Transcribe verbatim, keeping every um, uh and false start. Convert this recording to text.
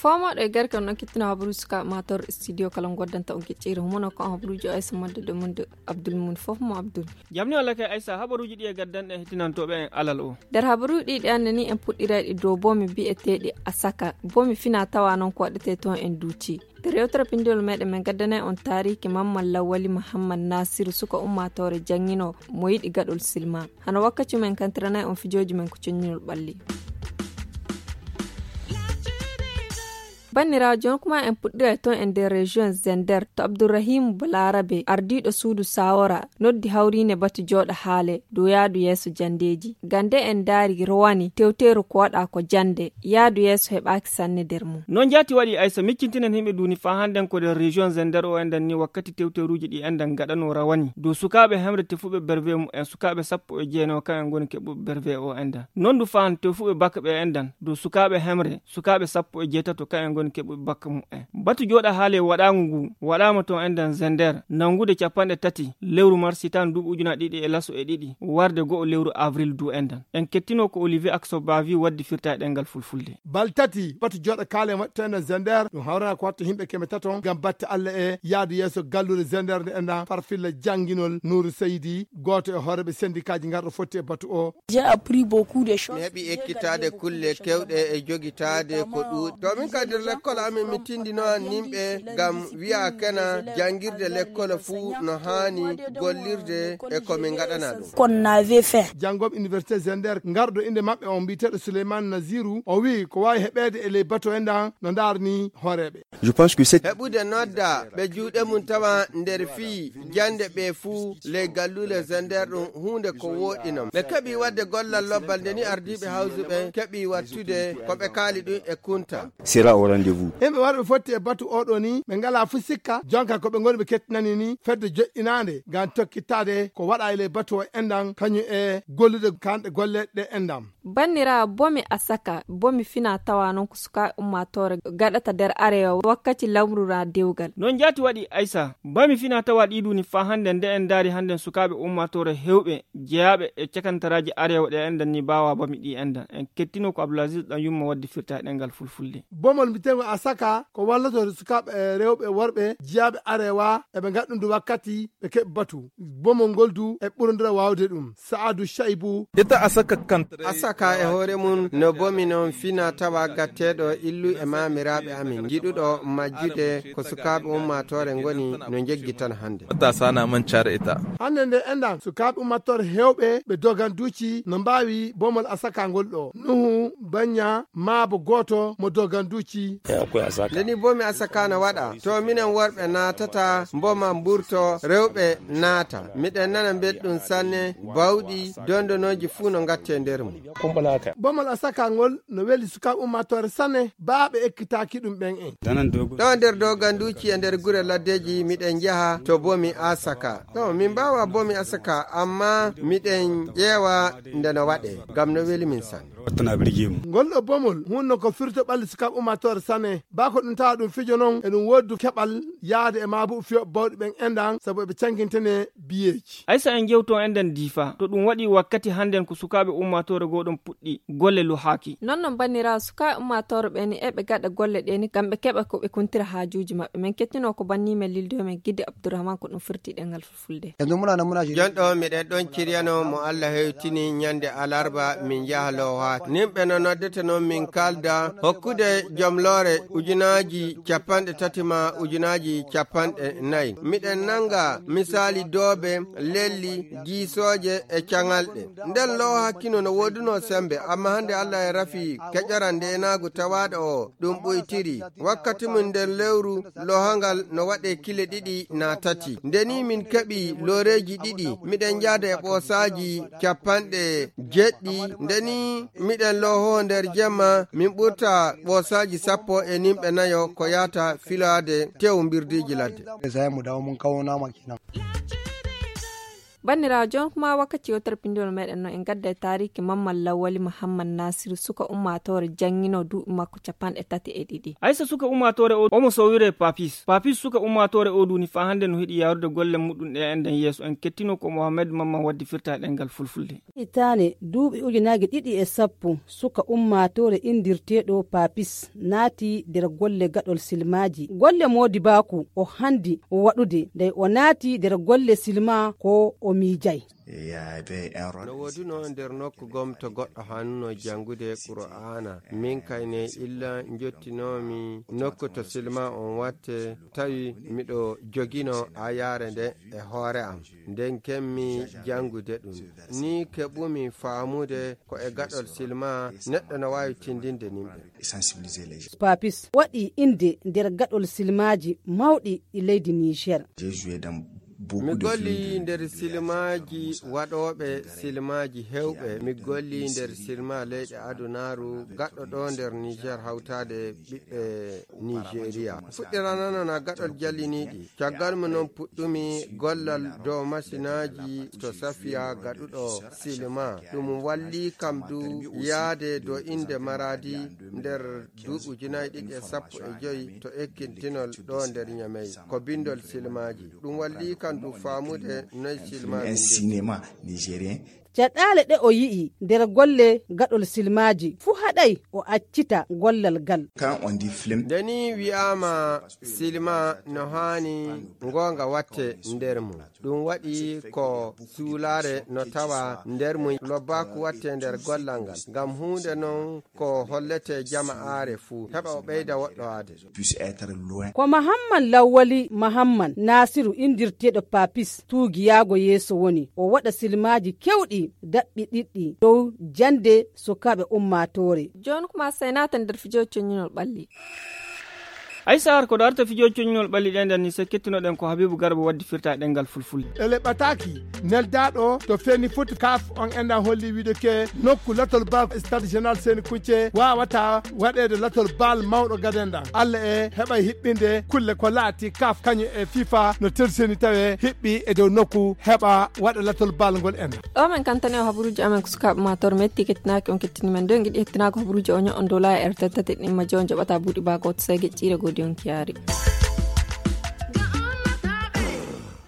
Foomoɗo e garke on ɗon kettino habaruuji suka mator studio kala goddanta on kecciri humono ko on habaruuji o aysa madde de munde. Abdul mun fof mo abdul. Jamni walla kay aysa habaruuji ɗi e gaddanɗe hettinantooɓe en alal o. Nder habaruuji ɗi ɗi annani en puɗɗirayɗi dow boomi bi'eteeɗi asaka boomi fina tawa noon ko waɗetee toon en duuti. Nder yewtere pindiwol meɗen min gaddanay on taariki mamman lawwali muhammad nasiru suka ummaatoore janngino mo yiɗi gaɗol silma. Hano wakkati men kantiranay on fijooji men ko cennginol ɓalli. Banniraawo, jooni kuma en puɗɗiray toon e nder région Zender to Abdourahim Balarabe, ardiiɗo suudu Sawora, noddi hawriine batu jooɗa haale dow yaadu yeeso janndeeji. Gande en ndaari rowani tewteeru ko waɗa ko jannde, yaadu yeeso heɓaaki sanne nder mum. Noon jaati waɗi aysa miccintinen himɓe duuni faa hannden ko nder région Zender o enɗan ni wakkati tewteeruuji ɗi enɗan gaɗano rawani dow sukaaɓe hemre tefuɓe berve mum en sukaaɓe sappo e jeenayo kan en ngoni keɓuɓe berve o enɗan. Noon du faa han tefuɓe bakka ɓe enɗan dow sukaaɓe hemre sukaaɓe sappo e jeetato kan en ngoni keɓuɓe bakka mum en. Batu jooɗa haale waɗaangu ngu waɗaama toon enɗan Zender nanngude capanɗe tati lewru mars hitaan duuɓi ujunaaji ɗiɗi e laso e ɗiɗi warde go'o lewru avril du enɗan. En kettino ko Olivier Akso Bavi waddi firta e ɗemngal fulfulde. Bal tati batu jooɗa kaale waɗi to enɗan Zender ɗum hawrana ko watta himɓe keme tato ngam batte Allah e yaadu yeeso gallure Zender nde enɗan farfilla jannginol Nuuru Seydi gooto e hooreeɓe sendikaaji ngarɗo fotti e batu o. J'ai appris beaucoup de choses. Mi heɓi ekkitaade kulle kewɗe e jogitaade ko ɗuuɗi. To min kadi nder lekkol amin mi tindino an nimɓe ngam wi'a kena janngirde lekkol fuu no haani gollirde e ko min ngaɗana ɗum. Qu'on avait fait. Janngooɓe université Zender ngarɗo innde maɓɓe on mbiyeteeɗo Souleymane Naziru o wi'i ko waawi heɓeede e ley batu enɗan no ndaarni hooreeɓe. Je pense que c'est heɓude nodda ɓe juuɗe mum tawa nder fii jannde ɓe fuu ley galluule Zender ɗum huunde ko wooɗinam. Ɓe keɓi waɗde gollal lobbal nde ni ardiiɓe hawsuɓe keɓi wattude ko ɓe kaali ɗum e kunta. Sera au rendez-vous. Himɓe warɓe fotti e batu oɗo ni ɓe ngalaa fuu sikka jonka ko ɓe ngoni ɓe kettinani ni fedde joɗɗinaande ngam tokkittaade ko waɗa e ley batu o enɗan kañum e gollude kanɗe golle ɗe enɗan. Banniraawo, bomi asaka, bomi fina tawa noon ko sukaaɓe ummaatoore gaɗata nder arewa wakkati lamru raa dewgal. Noon jaati waɗi Aysa, bomi fina tawa ɗii duuni faa hannden nde en ndaari hannden sukaaɓe ummaatoore heewɓe jeyaaɓe e cakantaraaji arewa ɗe enɗan ni mbaawaa bomi ɗii enɗan. En kettino ko Abdul Aziz ɗan yumma waddi firta e ɗemngal fulfulde. Bomol mbiteengol asaka ko wallotoo sukaaɓe e rewɓe e worɓe jeyaaɓe arewa eɓe ngaɗa ɗum ndu wakkati ɓe keɓi batu. Bomol ngol du e ɓurondira waawde ɗum. Sa'adu Shaibu. Ita asaka kantre. Asaka e hoore mum no bomi noon fina tawa gatteeɗo illu e maamiraaɓe amin. Jiɗuɗo majjude ko sukaaɓe ummaatoore ngoni no njeggi tan hannde. Matasa na mancar ita. Hannde nde enɗan sukaaɓe ummaatoore heewɓe ɓe doganduuci no mbaawi bomol asaka ngol ɗo. Nuhu, Banya, maabo gooto mo doganduuci. Nde ni bomi asaka na waɗa, to minen worɓe naatata, mboma mburto, rewɓe naata. Miɗen nana mbelɗum sanne, bawɗi, dondonooji fuu no ngatte nder mum. Bomol asaka ngol no weli sukaaɓe ummaatoore sanne, baa ɓe ekkitaaki ɗum ɓen en. Ɗo nder doganduuci e nder gure laddeeji miɗen njaha to bomi asaka. Ɗo min mbaawa bomi asaka, amma miɗen ƴeewa nde no waɗee, ngam no weli min sanne. Ngol ɗo bomol hunno ko firto ɓalli sukaaɓe ummaatoore sanne. Baa ko ɗum tawa ɗum fijo non, e ɗum wooddu keɓal yaade e maabuɓe fiyooɓe bawɗi ɓen enɗan, sabu eɓe cankintene biyeeji. Aysa en jewto enɗan diifa, to ɗum waɗi wakkati hannden ko sukaaɓe ummaatoore goo ɗon puɗɗi golle luhaaki. Non non banniraawo sukaaɓe ummaatoore ɓe ni eɓe gaɗa golle ɗe ni ngam ɓe keɓa ko ɓe kuntira haajuuji maɓɓe. Men kettino ko banni men lildo men Gidde Abdourahmane ko ɗum firti ɗemngal fulfulde. Jon ɗo miɗen ɗon ciryano mo Allah hewtini ñande alarba min njaha loohaaki. Nimɓe no noddete non min kalda hokkude jom loore ujunaaji capanɗe tati ma ujunaaji capanɗe nayi. Miɗen nanga misaali doobe, lelli, giisooje e caŋalɗe. Nden loohaaki no no woodunoo sembe, amma hannde Allah e rafi keƴoran ndeenaagu tawaaɗo o ɗum ɓuytiri. Wakkati mum nder lewru loohangal no waɗee kile ɗiɗi naa tati. Nde ni min keɓi looreeji ɗiɗi, miɗen njaada e ɓoosaaji capanɗe jeɗɗi. Nde ni miɗen loohoo nder jemma, min ɓurta ɓoosaaji sappo e nimɓe nayo ko yaata filaade tew mbirdiiji ladde. Banndiraawo, jooni kuma wakkati yewtere pinndol meeɗen no en gadda e taariiki Mamman Lawwali Muhammad Nasiru, suka ummaatoore janngino duuɓi makko capanɗe tati e ɗiɗi. Aysa suka ummaatoore o, omo sowire Papis. Papis suka ummaatoore o duuni faa hannde no hiɗi yaarude golle muɗum ɗe enden yeeso. En kettino ko Mohamed Mamman waddi firta e ɗemngal fulfulde. Hitaande duuɓi ujunaaji ɗiɗi e sappo, suka ummaatoore inndirteeɗo Papis naati nder golle gaɗol silmaaji. Golle moodibaaku o handi o waɗude, ndey o naati nder golle silma ko o miijay. No woodunoo nder nokku gom to goɗɗo hanuno janngude Qur'aana. Min kay ne illa njottinoomi nokku to silma on watte, tawi miɗo jogino ayaare nde e hoore am. Nden kemmi janngude ɗum. Ni keɓumi faamude ko e gaɗol silma neɗɗo no waawi tindinde nimɓe. Papis waɗi innde nder gaɗol silmaaji mawɗi ɗi leydi Niger. Mi golli nder silmaaji waɗooɓe silmaaji heewɓe. Mi golli nder silma leyɗe adunaaru gaɗɗo ɗo nder Niger hawtaade ɓiɓɓe Nigeria. Fuɗɗiranano na gaɗol jalliniiɗi. Caggal mum non puɗɗumi gollal dow masinaaji to Safiya gaɗuɗo silma. Ɗum walli kam du yaade dow innde Maradi nder duuɓi ujunaaji ɗiɗi e sappo e joy to ekkintinol ɗo nder Ñamey. Ko binndol silmaaji. Ɗum walli kam du faamude noy silmaaji nde. Caɗaale ɗe o yi'i nder golle gaɗol silmaaji fuu haɗay o accita gollal gal. Nde ni wi'aama silma no haani ngoonga watte nder mum. Ɗum waɗi ko suulaare no tawa nder mum, lobbaaku watte nder gollal ngal. Ngam huunde non ko hollete jama'aare fuu, heɓa o ɓeyda woɗɗowaade. Ko Mahamman Lawwali Mahamman Naasiru inndirteeɗo Papis tuugiyaago yeeso woni o waɗa silmaaji kewɗi daɓɓi ɗiɗɗi dow jannde sukaaɓe ummaatoore. Jooni kuma sey naata nder fijo coññinol ɓalli. Ay sahar ko darta fijo coññinol ɓalli ɗen nden ni sey kettinoɗen ko Habibu Garba waddi firta e ɗemngal fulfulde. Ele ɓataaki neldaaɗo to feni foti kaf on enɗan holli wiide ke nokku latol bal stade général Seni Kunce waawata waɗeede latol bal mawɗo gaden ɗan. Alla e heɓa hiɓɓinde kulle ko laati kaf kañum e fifa no terseni tawe hiɓɓi e dow nokku heɓa waɗa latol bal ngol enɗan. Ɗo men kantani o habaruuji amen ko sukaaɓe ma tor metti kettinaaki on kettini men ɗo en giɗi hettinaako habaruuji o ño'on dow laayi R T T ɗin majjo on jaɓata buuɗi baa gooto sey geƴƴiire goodi on kiyaari.